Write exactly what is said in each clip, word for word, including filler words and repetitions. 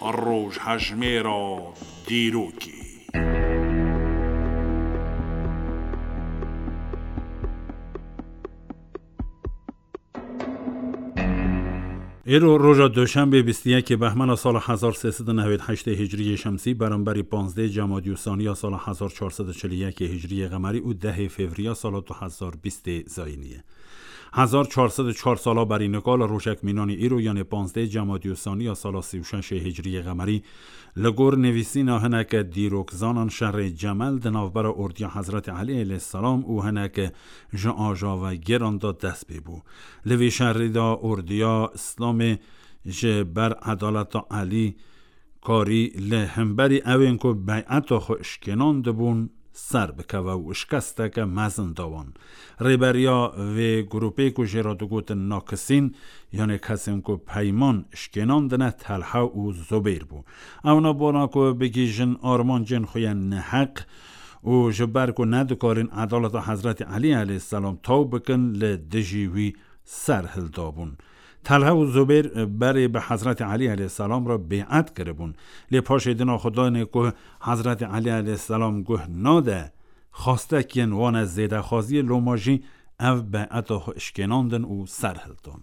Rojhejmêra dîrokê. Îro roja Duşenbê bîst û yekê Behmena sala hezar sê sed û newêd heştê Hicriyê Şemsî, beramberî panzdeh Cemadî û Saniya sala hezar çar sed û çil û yekê Hicriyê Qemerî û dehê Fevriya sala du hezar bîstê Zayînî ye. Hezar çar sed û çar sala berî nika li rojek mînanî îro, yanê panzdeh Cemadî û Saniya sala sî û şeşê Hicriyê Qemerî, li gor nivîsîna hineke dîrokzanan şerê Cemel di navbera ordiya Hezretî Elî aleyhisselam û hineke ji ajavegêran de dest pê bû. Li vî şerî de ordiya Îslamê ji ber edaleta Elî karî li hemberî ewên ku beyeta xwe şikênandibûn ser bikeve û şikesteke mezin da wan. Rêberiya vê grûpê ku jê re digotin nakisîn, yanê kesên ku peyman şikênandine, Telha û Zubêr bû. Ewna bona ku bigihîjin armancên xwe yên neheq û ji ber ku nedikarin edaleta Hezretî Elî aleyhisselam taw bikin, li dijî wî ser hildabûn. Telha û Zubêr berê bi Hezretî Elî aleyhisselam re bê'et kiribûn. Lê paşê dina xwe danê ku Hezretî Elî aleyhisselam guh nade, xwestekiyên wan e zêdexwaziyê, loma jî ev bê'eta xwe şikênandin û ser hildan.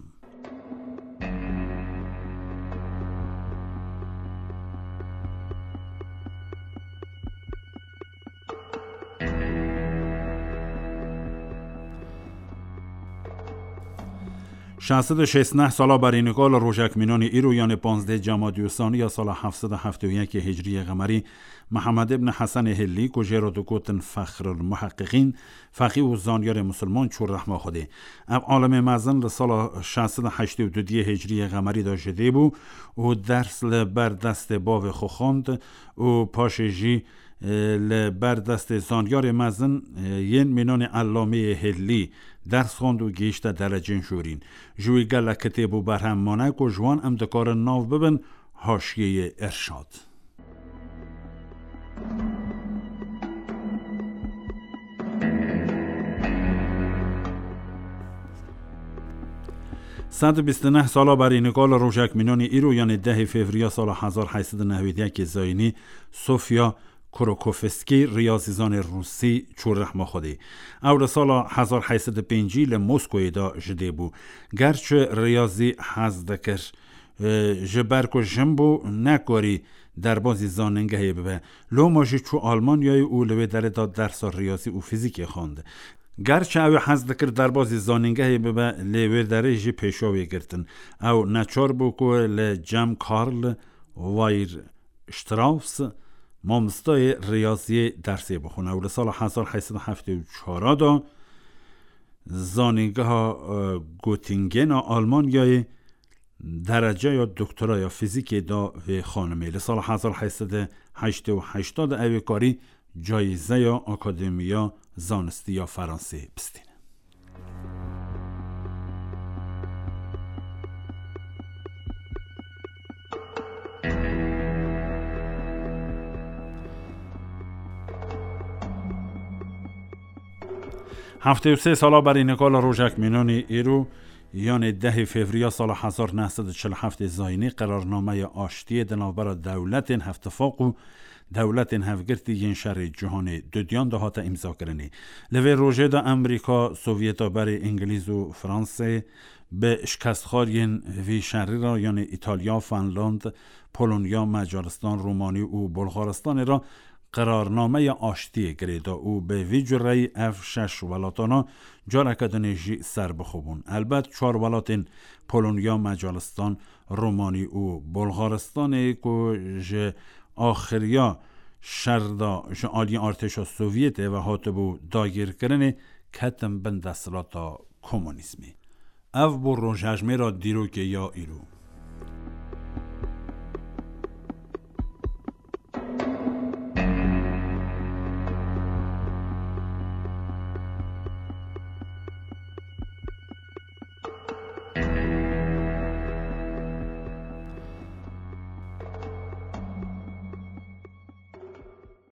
Şeş sed û şêst û neh sala berî nika li rojek mînanî îro, yanê panzdeh Cemadî û Saniya sala heft sed û heftê û yekê Hicriyê Qemerî, Mihemed ibn Hesenê Hillî, ku jê re digotin Fexrul Muheqqiqîn, feqî û zanyarê misilman çû rehma Xwedê. Ev alimê mezin li sala şeş sed û heştê û du diyê Hicriyê Qemerî de ji dê bû û ders li ber destê bavê xwe xwend û paşê jî, e, li ber destê zanyarê mezin, e, yên mînanê Ellameyê Hillî ders xwend û gihîşte derecên jûrîn. Ji wî gelek kitêb û berhem mane ku ji wan em dikarin nav bibin Haşiyeyê Irşad. Sed û bîst û neh sala berî nika li rojek mînanî îro, yanê dehê Fevriya sala hezar heyt sed û newêd yekê Zayînî, Sofya Krokofskî, riyazîzanê rûsî, çû rehma Xwedê. Ew li sala hezar heyt sed û pêncî li Moskoyê de ji dê bû. Gerçi riyazî hez dikir, e, ji ber ku jin bû, nekarî derbazî zanîngehê bibe. Loma jî çû Almanyayê û li wê derê de dersa riyazî û fîzîkê xwend. Gerçi ew ê hez dikir derbazî zanîngehê bibe, lê wê derê jî pêşa wê girtin. Ew neçar bû ku li cem Karl Weierstrass, mamostayê riyaziyê, dersê bixwin. Ew li sala hezar heyt sed û heftê û çar de zanîngeha, e, Göttingena Almanyayê dereceya doktoraya fîzîkê da vê xanimê. Li sala hezar heyt sed û heştê û heşt de ew ê karî cayizeya Akademiya Zanistî ya Fransê bistîne. Heftê û sê sala berî nika li rojek mînanî îro, yanê dehê Fevriya sala hezar neh sed û çil û heftê Zayînî, qerarnameya aştiyê di navbera dewletên Hevtifaq û dewletên Hevgirtî yên şerê cîhanê dudiyan de hate îmzakirinê. Li vê rojê de Amerîka, Sovyeta berê, Îngilîz û Fransê bi şikestxwariyên vî şerî re, yanê Îtalya, Finland, Polonya, Macaristan, Romanî û Bulgaristanê re qerarnameya aştiyê girê da û bi vî cureyî ev şeş welatana careke dinê jî serbixwe bûn. Elbet çar welatên Polonya, Macaristan, Romanî û Bulgaristanê ku ji axiriya şer de ji aliyê artêşa Sovyetê ve hatibû dagirkirinê, ketin bin desthilata komunîzmê. Ev bû rojhejmêra dîrokê ya îro.